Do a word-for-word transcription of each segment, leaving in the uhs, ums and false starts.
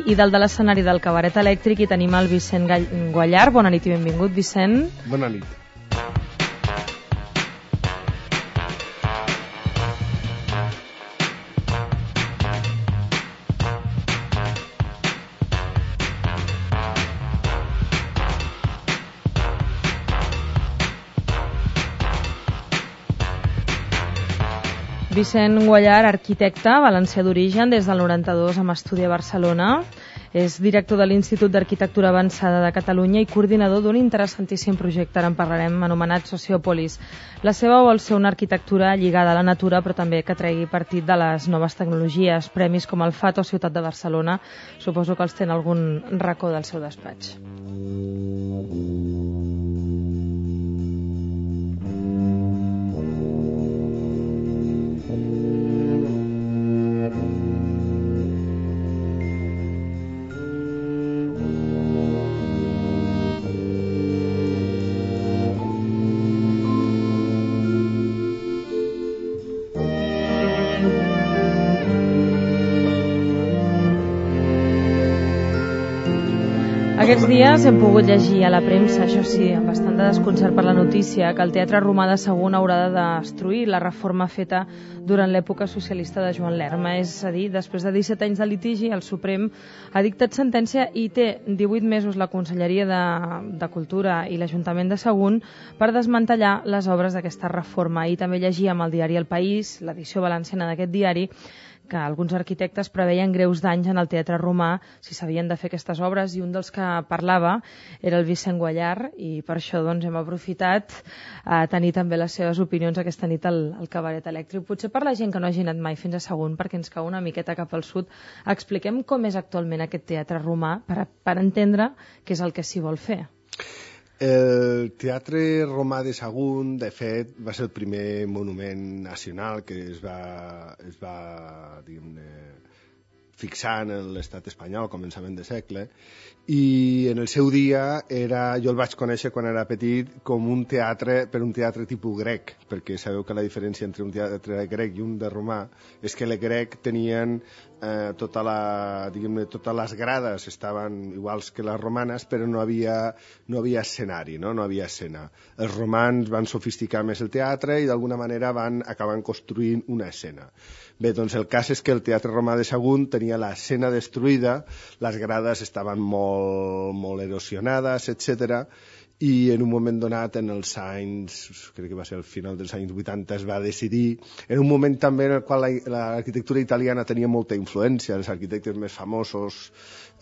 i dalt de l'escenari del Cabaret Elèctric hi tenim el Vicent Guallar. Bona nit i benvingut, Vicent. Bona nit. Vicent Guallar, arquitecte, valencià d'origen, des del noranta-dos amb estudi a Barcelona. És director de l'Institut d'Arquitectura Avançada de Catalunya i coordinador d'un interessantíssim projecte, ara en parlarem, anomenat Sociòpolis. La seva vol ser una arquitectura lligada a la natura, però també que tregui partit de les noves tecnologies. Premis com el Fato Ciutat de Barcelona, suposo que els té en algun racó del seu despatx. Aquests dies hem pogut llegir a la premsa, això sí, amb bastant de desconcert per la notícia, que el Teatre Romà de Sagunt haurà de destruir la reforma feta durant l'època socialista de Joan Lerma. És a dir, després de disset anys de litigi, el Suprem ha dictat sentència i té divuit mesos la Conselleria de, de Cultura i l'Ajuntament de Sagunt per desmantellar les obres d'aquesta reforma. I també llegíem al diari El País, l'edició valenciana d'aquest diari, que alguns arquitectes preveien greus danys en el Teatre Romà si s'havien de fer aquestes obres, i un dels que parlava era el Vicent Guallar, i per això doncs, hem aprofitat a tenir també les seves opinions aquesta nit al, al Cabaret Elèctric. Potser per la gent que no hagi anat mai fins a Sagunt, perquè ens cau una miqueta cap al sud, expliquem com és actualment aquest Teatre Romà per, per entendre què és el que s'hi vol fer. El Teatre Romà de Sagunt, de fet, va ser el primer monument nacional que es va, es va diguem-ne, fixar en l'estat espanyol a començament de segle, i en el seu dia era, jo el vaig conèixer quan era petit com un teatre, per un teatre tipus grec, perquè sabeu que la diferència entre un teatre grec i un de romà és que el grec tenien eh, tota la, diguem-ne, totes les grades estaven iguals que les romanes, però no havia, no havia escenari, no? no havia escena. Els romans van sofisticar més el teatre i d'alguna manera van acabar construint una escena. Bé, doncs el cas és que el Teatre Romà de Sagunt tenia l'escena destruïda, les grades estaven molt, molt erosionades, etcètera, i en un moment donat, en els anys, crec que va ser al final dels anys vuitanta, es va decidir, en un moment també en el qual l'arquitectura italiana tenia molta influència, els arquitectes més famosos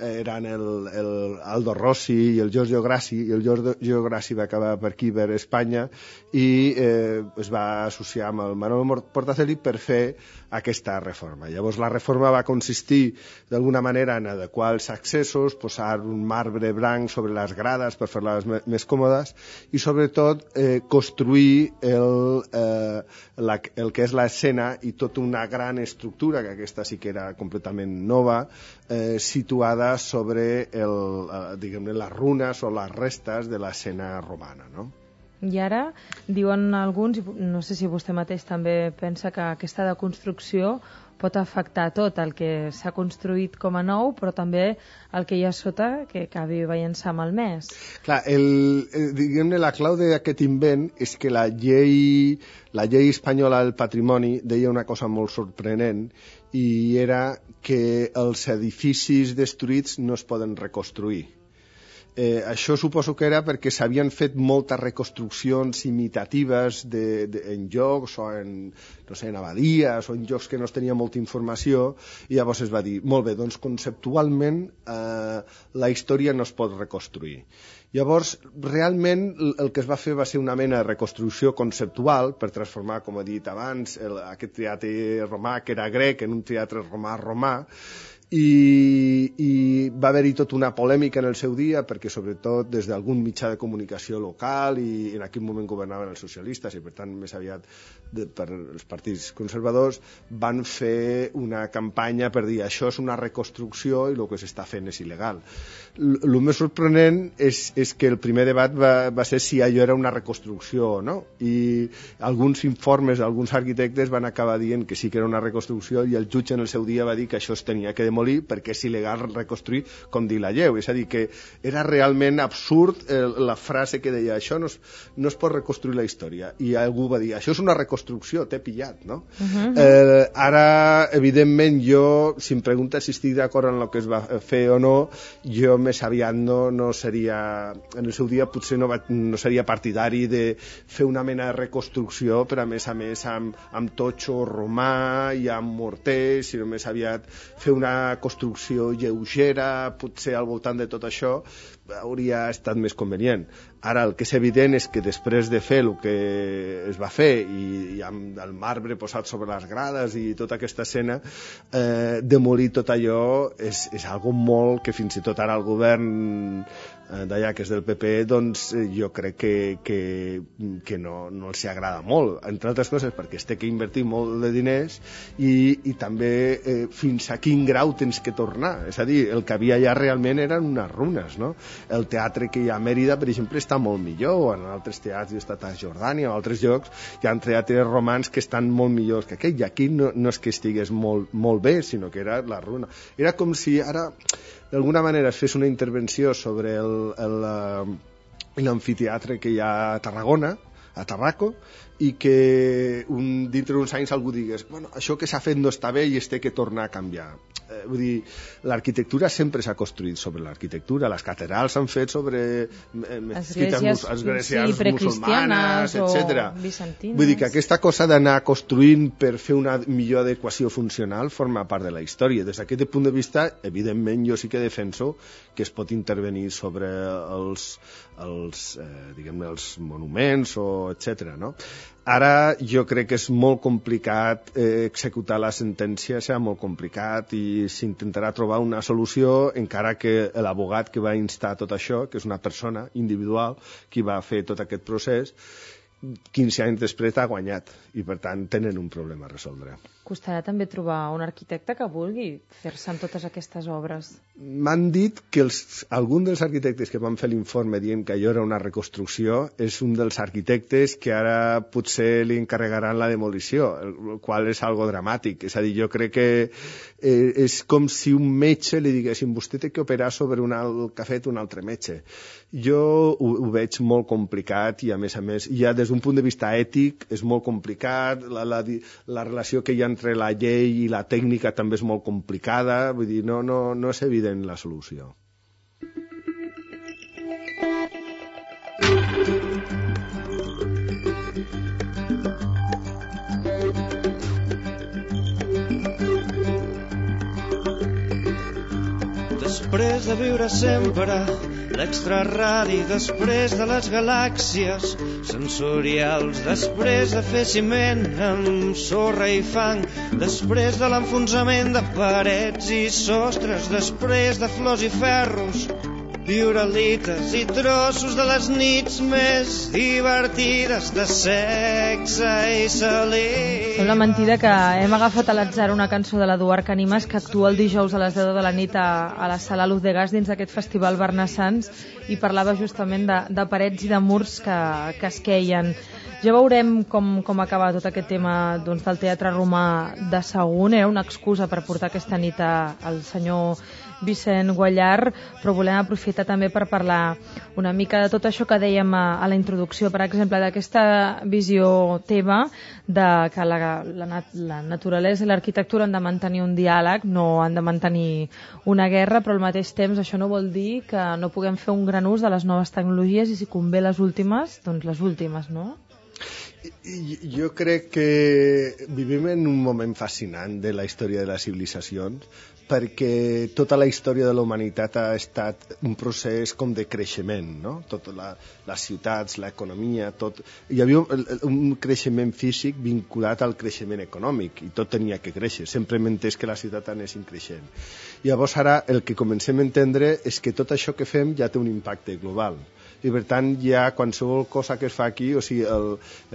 eren el, el Aldo Rossi i el Giorgio Grassi, i el Giorgio Grassi va acabar per aquí, per Espanya, i eh, es va associar amb el Manuel Portacelli per fer aquesta reforma. Llavors la reforma va consistir d'alguna manera en adequar els accessos, posar un marbre blanc sobre les grades per fer-les més còmodes i sobretot eh, construir el, eh, la, el que és l'escena i tota una gran estructura, que aquesta sí que era completament nova, eh, situada sobre el, eh, diguem-ne, les runes o les restes de l'escena romana, no? I ara diuen alguns, no sé si vostè mateix també pensa que aquesta deconstrucció pot afectar tot el que s'ha construït com a nou, però també el que hi ha sota que acabi veient-se malmès. Clar, el, el, diguem-ne, la clau d'aquest invent és que la llei, la llei espanyola del patrimoni deia una cosa molt sorprenent, i era que els edificis destruïts no es poden reconstruir. Eh, això suposo que era perquè s'havien fet moltes reconstruccions imitatives de, de, en llocs o en, no sé, en abadies o en llocs que no es tenia molta informació, i llavors es va dir, molt bé, doncs conceptualment eh, la història no es pot reconstruir. Llavors, realment, el que es va fer va ser una mena de reconstrucció conceptual per transformar, com he dit abans, el, aquest teatre romà, que era grec, en un teatre romà romà, i, i va haver-hi tota una polèmica en el seu dia, perquè sobretot des d'algun mitjà de comunicació local, i en aquell moment governaven els socialistes, i per tant més aviat de, per els partits conservadors, van fer una campanya per dir això és una reconstrucció i el que s'està fent és il·legal. El més sorprenent és, és que el primer debat va, va ser si allò era una reconstrucció o no, i alguns informes, alguns arquitectes van acabar dient que sí que era una reconstrucció, i el jutge en el seu dia va dir que això es tenia que demolir perquè és il·legal reconstruir com dir la lleu. És a dir, que era realment absurd eh, la frase que deia això no es, no es pot reconstruir la història, i algú va dir això és una reconstrucció, t'he pillat, no? Uh-huh. eh, ara, evidentment, jo, si em preguntes si estic d'acord en el que es va fer o no, jo més aviat no, no seria, en el seu dia potser no, va, no seria partidari de fer una mena de reconstrucció, però a més a més amb, amb totxo romà i amb morter, sinó més aviat fer una construcció lleugera, potser al voltant de tot això, hauria estat més convenient. Ara, el que és evident és que després de fer el que es va fer, i, i amb el marbre posat sobre les grades i tota aquesta escena, eh, demolir tot allò és, és algo molt que fins i tot ara el govern eh, d'allà, que és del P P, doncs eh, jo crec que, que, que no, no els agrada molt, entre altres coses perquè es té que invertir molt de diners, i, i també eh, fins a quin grau tens que tornar. És a dir, el que havia allà realment eren unes runes, no? El teatre que hi ha a Mèrida, per exemple, està molt millor, o en altres teatres, estat a Jordània o altres llocs, hi ha teatres romans que estan molt millors que aquell, i aquí no, no és que estigués molt, molt bé, sinó que era la runa. Era com si ara, d'alguna manera, es fes una intervenció sobre l'amfiteatre que hi ha a Tarragona, a Tarraco, i que un, dintre d'uns anys algú digués bueno, això que s'ha fet no està bé i es té que tornar a canviar. Eh, vull dir, l'arquitectura sempre s'ha construït sobre l'arquitectura, les catedrals s'han fet sobre eh, esglésies, esglésies sí, musulmanes, etcètera. Bizantines. Vull dir que aquesta cosa d'anar construint per fer una millor adequació funcional forma part de la història. Des d'aquest punt de vista, evidentment, jo sí que defenso que es pot intervenir sobre els, els, eh, diguem-ne, els monuments, o etcètera, no? Ara jo crec que és molt complicat eh, executar la sentència, serà molt complicat, i s'intentarà trobar una solució, encara que l'abogat que va instar tot això, que és una persona individual qui va fer tot aquest procés, quinze anys després ha guanyat, i per tant tenen un problema a resoldre. Costarà també trobar un arquitecte que vulgui fer-se en totes aquestes obres. M'han dit que els, algun dels arquitectes que van fer l'informe dient que allò era una reconstrucció és un dels arquitectes que ara potser li encarregaran la demolició, el qual és algo dramàtic. És a dir, jo crec que eh, és com si un metge li diguessin vostè té que operar sobre un alt, que ha fet un altre metge. Jo ho, ho veig molt complicat, i a més a més, ja des d'un punt de vista ètic és molt complicat, la, la, la relació que hi ha entre la llei i la tècnica també és molt complicada, vull dir, no, no, no és evident la solució. Després de viure sempre l'extraradi, després de les galàxies sensorials, després de fer ciment amb sorra i fang, després de l'enfonsament de parets i sostres, després de flors i ferros, viuralites i trossos de les nits més divertides de sexe i salir. Sembla mentida que hem agafat a l'atzar una cançó de l'Eduard Canimas, que actua el dijous a les deu de la nit a, a la sala Luz de Gas dins d'aquest festival Barnassans, i parlava justament de, de parets i de murs que, que es queien. Ja veurem com, com acaba tot aquest tema, doncs, del Teatre Romà de Sagunt. Era una excusa per portar aquesta nit a, al senyor Vicent Guallar, però volem aprofitar també per parlar una mica de tot això que dèiem a, a la introducció, per exemple, d'aquesta visió teva de que la, la, la naturalesa i l'arquitectura han de mantenir un diàleg, no han de mantenir una guerra, però al mateix temps això no vol dir que no puguem fer un gran ús de les noves tecnologies, i si convé les últimes, doncs les últimes, no? Jo crec que vivim en un moment fascinant de la història de les civilitzacions, perquè tota la història de la humanitat ha estat un procés com de creixement, no? Tot la, les ciutats, l'economia, tot... Hi havia un, un creixement físic vinculat al creixement econòmic i tot tenia que créixer, sempre hem entès que la ciutat anessin creixent. Llavors ara el que comencem a entendre és que tot això que fem ja té un impacte global. I per tant ja qualsevol cosa que es fa aquí, o sigui, el,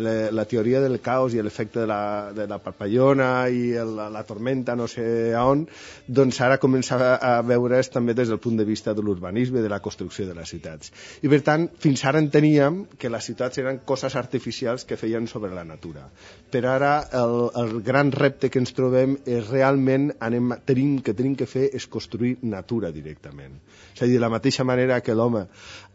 la, la teoria del caos i l'efecte de la, de la papallona i el, la, la tormenta no sé on, doncs ara comença a, a veure's també des del punt de vista de l'urbanisme, de la construcció de les ciutats. I per tant, fins ara enteníem que les ciutats eren coses artificials que feien sobre la natura. Però ara el, el gran repte que ens trobem és realment anem, tenim, que tenim que fer és construir natura directament. És a dir, de la mateixa manera que l'home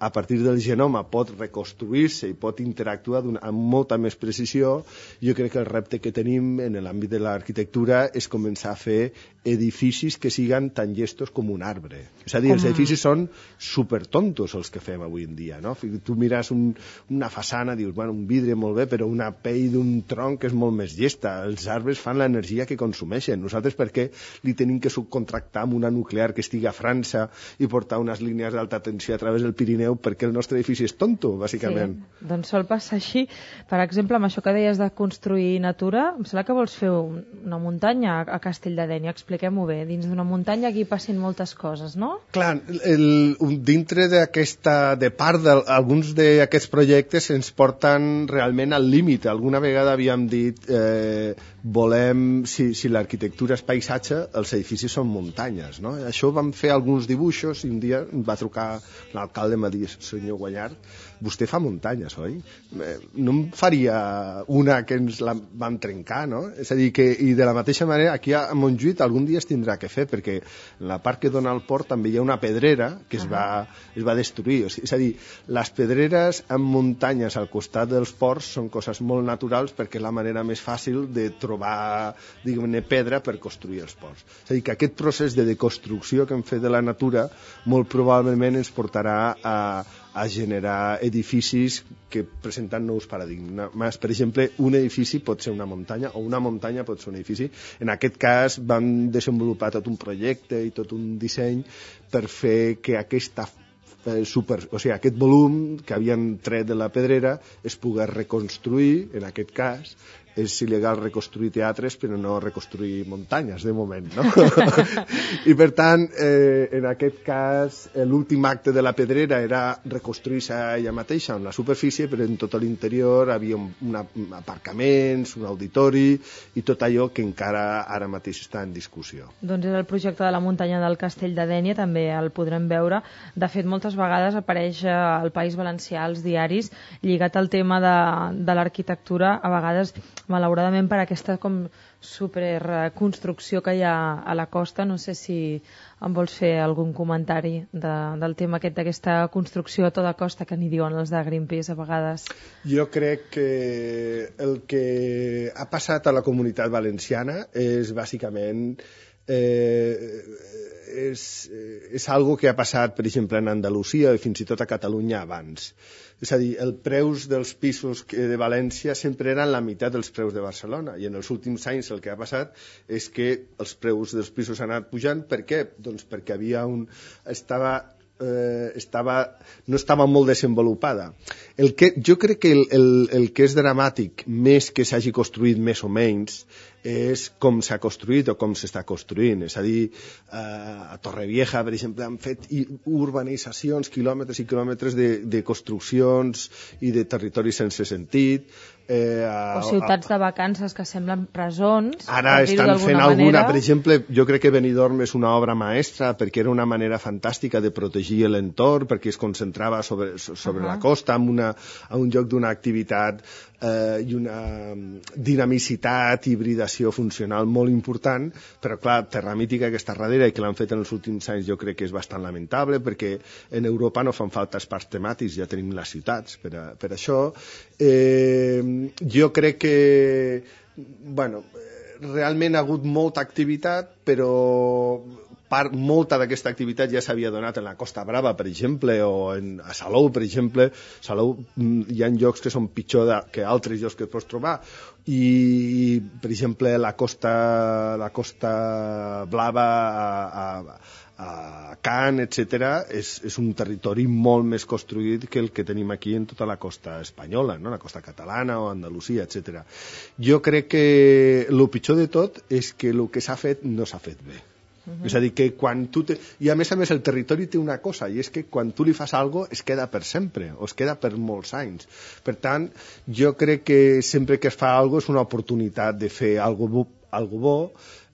a partir del genoma pot reconstruir-se i pot interactuar amb molta més precisió, jo crec que el repte que tenim en l'àmbit de l'arquitectura és començar a fer edificis que siguen tan llestos com un arbre. És a dir, com... els edificis són supertontos els que fem avui en dia, no? Tu mires un, una façana, dius, bueno, un vidre molt bé, però una pell d'un tronc és molt més llesta. Els arbres fan l'energia que consumeixen. Nosaltres per què li tenim que subcontractar amb una nuclear que estigui a França i portar unes línies d'alta tensió a través del Pirineu perquè el nostre edifici és tonto, bàsicament? Sí, doncs sol passar així. Per exemple, amb això que deies de construir natura, em sembla que vols fer una muntanya a Castell de Dénia. Expliquem-ho bé. Dins d'una muntanya aquí passin moltes coses, no? Clar, el, dintre d'aquesta, de part d'alguns d'aquests projectes ens porten realment al límit. Alguna vegada havíem dit eh, volem, si, si l'arquitectura és paisatge, els edificis són muntanyes, no? Això vam fer alguns dibuixos i un dia em va trucar l'alcalde i em va dir, senyor Guanyart, vostè fa muntanyes, oi? No em faria una que ens la vam trencar, no? És a dir, que, i de la mateixa manera, aquí a Montjuïc algun dia es tindrà que fer, perquè en la part que dona al port també hi ha una pedrera que es va, es va destruir. O sigui, és a dir, les pedreres amb muntanyes al costat dels ports són coses molt naturals perquè és la manera més fàcil de trobar, diguem-ne, pedra per construir els ports. És a dir, que aquest procés de deconstrucció que hem fet de la natura molt probablement ens portarà a a generar edificis que presenten nous paradigmes. Per exemple, un edifici pot ser una muntanya o una muntanya pot ser un edifici. En aquest cas vam desenvolupar tot un projecte i tot un disseny per fer que aquesta super, o sigui, aquest volum que havien tret de la pedrera es pogués reconstruir, en aquest cas és il·legal reconstruir teatres però no reconstruir muntanyes de moment, no? I per tant eh, en aquest cas l'últim acte de la pedrera era reconstruir-se ella mateixa en la superfície, però en tot l'interior havia un, una, un aparcaments, un auditori i tot allò que encara ara mateix està en discussió. Doncs és el projecte de la muntanya del Castell de Dénia, també el podrem veure. De fet, moltes vegades apareix al País Valencià als diaris lligat al tema de, de l'arquitectura, a vegades malauradament per aquesta com superconstrucció que hi ha a la costa. No sé si em vols fer algun comentari de, del tema aquest d'aquesta construcció a tota costa que n'hi diuen els de Greenpeace a vegades. Jo crec que el que ha passat a la Comunitat Valenciana és bàsicament eh, és, és algo que ha passat, per exemple, en Andalusia i fins i tot a Catalunya abans. És a dir, els preus dels pisos de València sempre eren la meitat dels preus de Barcelona i en els últims anys el que ha passat és que els preus dels pisos han anat pujant. Per què? Doncs perquè havia un... estava Eh, estava, no estava molt desenvolupada. El que, jo crec que el, el, el que és dramàtic, més que s'hagi construït més o menys, és com s'ha construït o com s'està construint. És a dir, eh, a Torrevieja, per exemple, han fet urbanitzacions, quilòmetres i quilòmetres de, de construccions i de territoris sense sentit. Eh, a, o ciutats de vacances que semblen presons. Ara estan fent alguna, manera. Per exemple, jo crec que Benidorm és una obra maestra perquè era una manera fantàstica de protegir l'entorn, perquè es concentrava sobre, sobre uh -huh. la costa, en, una, en un lloc d'una activitat eh, i una dinamicitat, hibridació funcional molt important, però clar, Terra Mítica que està darrere i que l'han fet en els últims anys jo crec que és bastant lamentable perquè en Europa no fan falta els parcs temàtics, ja tenim les ciutats per, a, per això. Eh, jo crec que bueno, realment ha hagut molta activitat, però part, molta d'aquesta activitat ja s'havia donat en la Costa Brava, per exemple, o en, a Salou, per exemple. Salou hi ha llocs que són pitjor de, que altres llocs que pots trobar, i per exemple la Costa, la Costa Blava a, a, a Can, etcètera, és, és un territori molt més construït que el que tenim aquí en tota la costa espanyola, no? La costa catalana o Andalusia, etcètera. Jo crec que el pitjor de tot és que el que s'ha fet no s'ha fet bé. Uh-huh. És a dir, que quan tu... Te... I a més a més el territori té una cosa, i és que quan tu li fas alguna cosa es queda per sempre, o es queda per molts anys. Per tant, jo crec que sempre que es fa alguna cosa és una oportunitat de fer alguna cosa bo.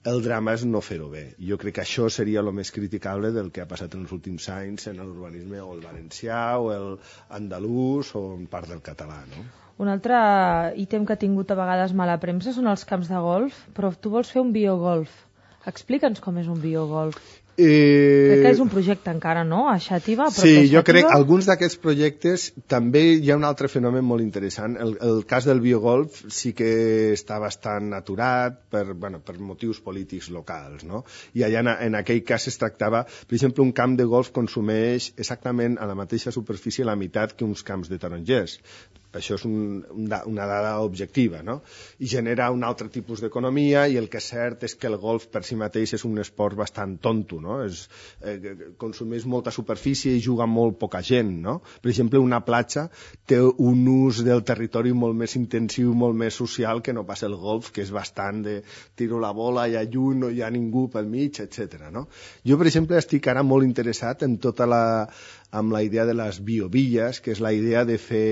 El drama és no fer-ho bé. Jo crec que això seria el més criticable del que ha passat en els últims anys en l'urbanisme o el valencià o el andalús o en part del català, no? Un altre ítem que ha tingut a vegades mala premsa són els camps de golf, però tu vols fer un biogolf. Explica'ns com és un biogolf. Eh... Crec que és un projecte encara, no? A Xàtiva? Sí, jo crec que alguns d'aquests projectes també hi ha un altre fenomen molt interessant. El, el cas del biogolf sí que està bastant aturat per, bueno, per motius polítics locals, no? I allà en, en aquell cas es tractava, per exemple, un camp de golf consumeix exactament a la mateixa superfície la meitat que uns camps de tarongers. Això és un, una dada objectiva, no? I genera un altre tipus d'economia, i el que és cert és que el golf per si mateix és un esport bastant tonto, no? És, eh, consumeix molta superfície i juga molt poca gent, no? Per exemple, una platja té un ús del territori molt més intensiu, molt més social que no pas el golf, que és bastant de tiro la bola, hi ha lluny, no hi ha ningú pel mig, etcètera, no? Jo, per exemple, estic ara molt interessat en tota la, amb la idea de les biovilles, que és la idea de fer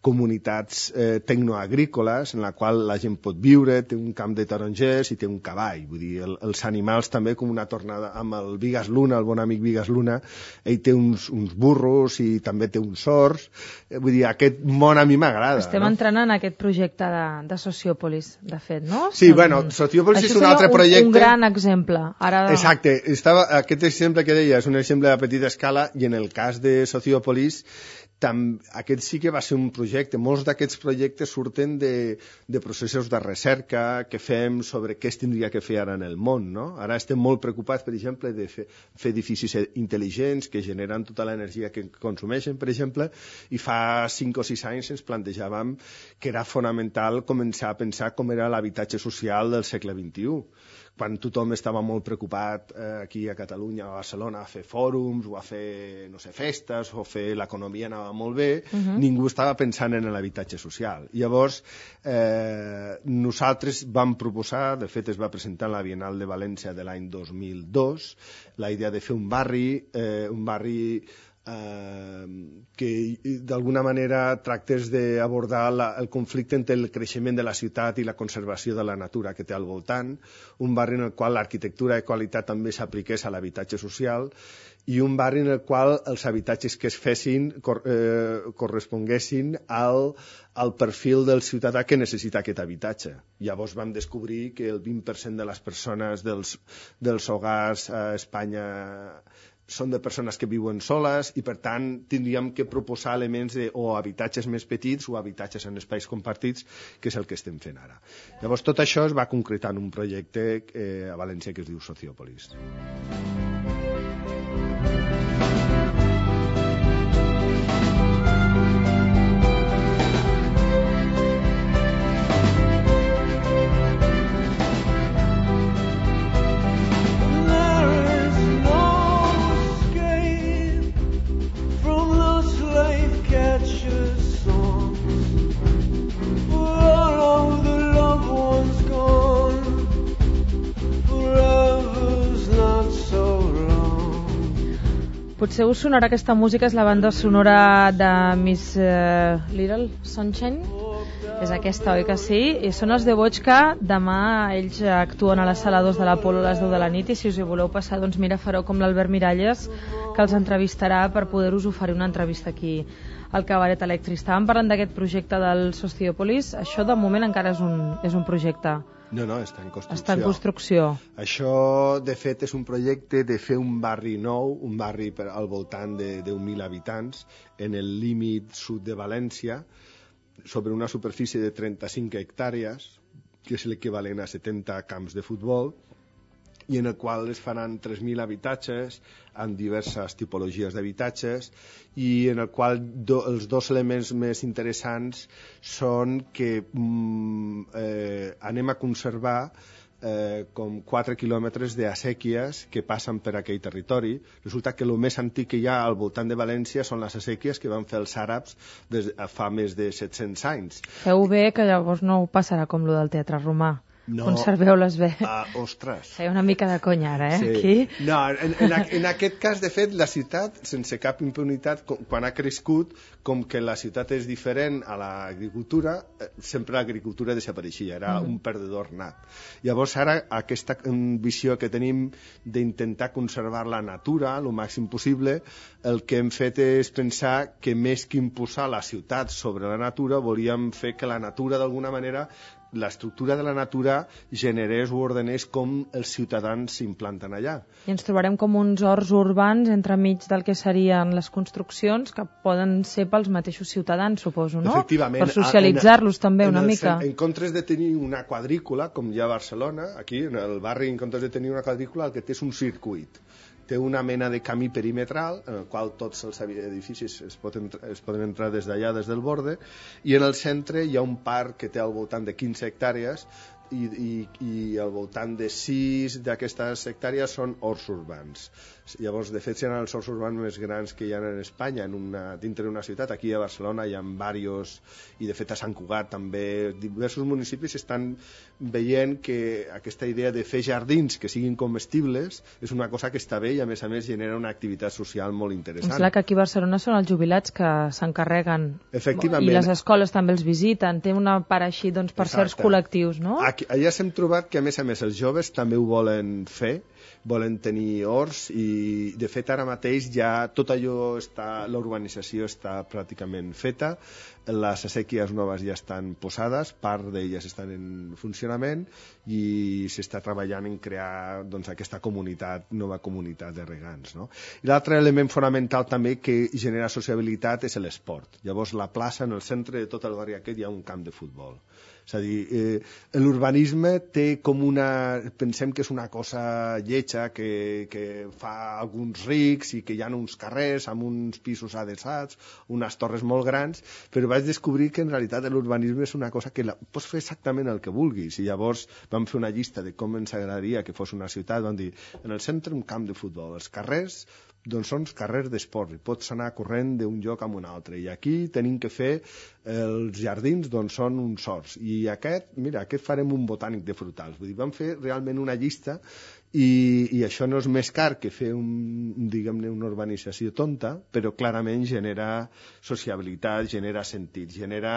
comunitats eh, tecnoagrícoles en la qual la gent pot viure, té un camp de tarongers i té un cavall. Vull dir, el, els animals també, com una tornada amb el Vigas Luna, el bon amic Vigas Luna, ell té uns, uns burros i també té uns sords. Eh, vull dir, aquest món a mi m'agrada. Estem no? entrant en aquest projecte de, de Sociòpolis, de fet, no? Sí, Som... bueno, Sociòpolis és un altre un, projecte... un gran exemple. Ara... Exacte. Estava, aquest exemple que deia és un exemple de petita escala, i en el cas de Sociòpolis Tam, aquest sí que va ser un projecte. Molts d'aquests projectes surten de, de processos de recerca que fem sobre què es tindria que fer ara en el món, no? Ara estem molt preocupats, per exemple, de fer, fer edificis intel·ligents que generen tota l'energia que consumeixen, per exemple, i fa cinc o sis anys ens plantejàvem que era fonamental començar a pensar com era l'habitatge social del segle vint-i-u. Quan tothom estava molt preocupat eh, aquí a Catalunya o a Barcelona a fer fòrums o a fer, no sé, festes o fer l'economia anava molt bé, uh-huh. Ningú estava pensant en l'habitatge social. Llavors, eh, nosaltres vam proposar, de fet es va presentar a la Bienal de València de l'any dos mil dos, la idea de fer un barri, eh, un barri Uh, que d'alguna manera tractés d'abordar la, el conflicte entre el creixement de la ciutat i la conservació de la natura que té al voltant, un barri en el qual l'arquitectura de qualitat també s'apliqués a l'habitatge social, i un barri en el qual els habitatges que es fessin cor, eh, corresponguessin al, al perfil del ciutadà que necessita aquest habitatge. Llavors vam descobrir que el vint per cent de les persones dels, dels hogars a Espanya són de persones que viuen soles, i per tant tindríem que proposar elements de, o habitatges més petits o habitatges en espais compartits, que és el que estem fent ara. Llavors tot això es va concretar en un projecte eh, a València que es diu Sociòpolis. Potser us sonarà aquesta música, és la banda sonora de Miss uh, Little Sunshine. És aquesta, oi que sí? I són els de Bochka. Demà ells actuen a la sala dos de l'Apolo a les deu de la nit, i si us hi voleu passar, doncs mira, fareu com l'Albert Miralles, que els entrevistarà per poder-us oferir una entrevista aquí al Cabaret Elèctric. Estàvem parlant d'aquest projecte del Sociòpolis. Això de moment encara és un, és un projecte. No, no, està en construcció. Està en construcció. Això, de fet, és un projecte de fer un barri nou, un barri per, al voltant de deu mil habitants, en el límit sud de València, sobre una superfície de trenta-cinc hectàrees, que és l'equivalent a setanta camps de futbol, i en el qual es faran tres mil habitatges amb diverses tipologies d'habitatges i en el qual do, els dos elements més interessants són que mm, eh, anem a conservar eh, com quatre quilòmetres d'assèquies que passen per aquell territori. Resulta que el més antic que hi ha al voltant de València són les assèquies que van fer els àrabs des de, fa més de set-cents anys. Feu bé que llavors no ho passarà com lo del Teatre Romà. No, conserveu-les bé. Uh, ostres. Feia una mica de conya ara, eh? Sí. Aquí. No, en, en, en aquest cas, de fet, la ciutat, sense cap impunitat, com, quan ha crescut, com que la ciutat és diferent a l'agricultura, eh, sempre l'agricultura desapareixia, era mm. un perdedor nat. Llavors, ara, aquesta visió que tenim d'intentar conservar la natura el màxim possible, el que hem fet és pensar que més que imposar la ciutat sobre la natura, volíem fer que la natura, d'alguna manera, l'estructura de la natura generés o ordenés com els ciutadans s'implanten allà. I ens trobarem com uns horts urbans entremig del que serien les construccions que poden ser pels mateixos ciutadans, suposo, no? Efectivament. Per socialitzar-los també en una el, mica. En comptes de tenir una quadrícula, com hi ha a Barcelona, aquí en el barri, en comptes de tenir una quadrícula, el que té és un circuit. Té una mena de camí perimetral en el qual tots els edificis es poden, es poden entrar des d'allà, des del borde, i en el centre hi ha un parc que té al voltant de quinze hectàrees i, i, i al voltant de sis d'aquestes hectàrees són horts urbans. Llavors, de fet, seran els horts urbans més grans que hi ha en Espanya, en una, dintre d'una ciutat. Aquí a Barcelona hi ha diversos, i de fet a Sant Cugat també, diversos municipis estan veient que aquesta idea de fer jardins que siguin comestibles és una cosa que està bé i a més a més genera una activitat social molt interessant. És clar que aquí a Barcelona són els jubilats que s'encarreguen i les escoles també els visiten, té una part així doncs, per Exacte. certs col·lectius, no? Aquí, allà s'hem trobat que a més a més els joves també ho volen fer, volen tenir horts i de fet ara mateix ja tot allò està, la urbanització està pràcticament feta, les assèquies noves ja estan posades, part d'elles estan en funcionament i s'està treballant en crear doncs, aquesta comunitat, nova comunitat de regants, no? I l'altre element fonamental també que genera sociabilitat és l'esport. Llavors la plaça, en el centre de tot el barri aquest hi ha un camp de futbol. És a dir, eh, l'urbanisme té com una... Pensem que és una cosa lletja que, que fa alguns rics i que hi ha uns carrers amb uns pisos adeçats, unes torres molt grans, però vaig descobrir que en realitat l'urbanisme és una cosa que la, pots fer exactament el que vulguis. I llavors vam fer una llista de com ens agradaria que fos una ciutat, vam dir, en el centre un camp de futbol, els carrers doncs són carrers d'esport i pots anar corrent d'un lloc a un altre, i aquí tenim que fer els jardins, doncs són uns horts, i aquest, mira, aquest farem un botànic de frutals. Vull dir, vam fer realment una llista i, i això no és més car que fer un, diguem-ne, una urbanització tonta, però clarament genera sociabilitat, genera sentit, genera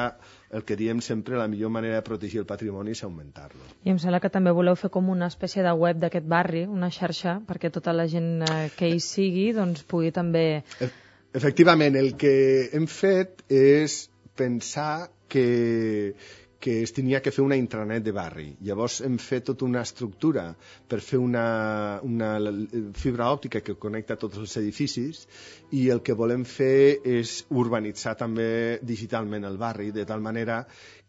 el que diem sempre, la millor manera de protegir el patrimoni és augmentar-lo. I em sembla que també voleu fer com una espècie de web d'aquest barri, una xarxa, perquè tota la gent que hi sigui doncs, pugui també... Efectivament, el que hem fet és pensar que, que es tenia que fer una intranet de barri. Llavors hem fet tota una estructura per fer una, una fibra òptica que connecta tots els edificis i el que volem fer és urbanitzar també digitalment el barri, de tal manera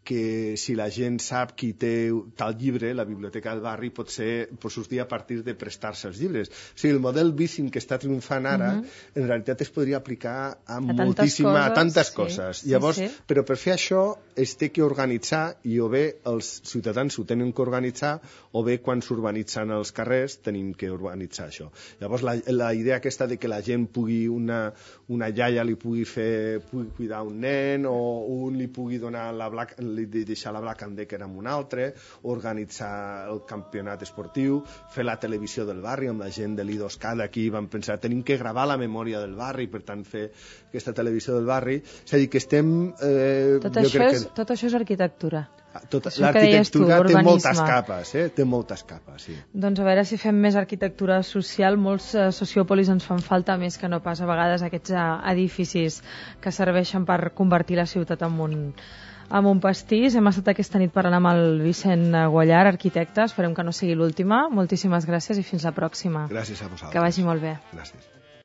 que si la gent sap qui té tal llibre, la biblioteca del barri pot ser, pot sortir a partir de prestar-se els llibres. O sigui, el model Bicing que està triomfant ara, uh -huh. en realitat es podria aplicar a, a moltíssima, coses, a tantes sí, coses. Llavors, sí, sí. Però per fer això es té que organitzar i o bé els ciutadans ho tenen que organitzar o bé quan s'urbanitzen els carrers tenim que urbanitzar això. Llavors, la, la idea aquesta de que la gent pugui, una, una iaia li pugui fer, pugui cuidar un nen o un li pugui donar la black, de deixar la Black and Decker amb un altre, organitzar el campionat esportiu, fer la televisió del barri amb la gent de l'I dos K d'aquí, vam pensar, tenim que gravar la memòria del barri, per tant fer aquesta televisió del barri, és a dir, que estem... Eh, tot, això és, que... tot això és arquitectura. L'arquitectura té moltes capes, eh? té moltes capes, sí. Doncs a veure si fem més arquitectura social, molts uh, sociòpolis ens fan falta més que no pas a vegades aquests uh, edificis que serveixen per convertir la ciutat en un amb un pastís. Hem estat aquesta nit parlant amb el Vicent Guallar, arquitecte. Esperem que no sigui l'última. Moltíssimes gràcies i fins la pròxima. Gràcies a vosaltres. Que vagi molt bé. Gràcies.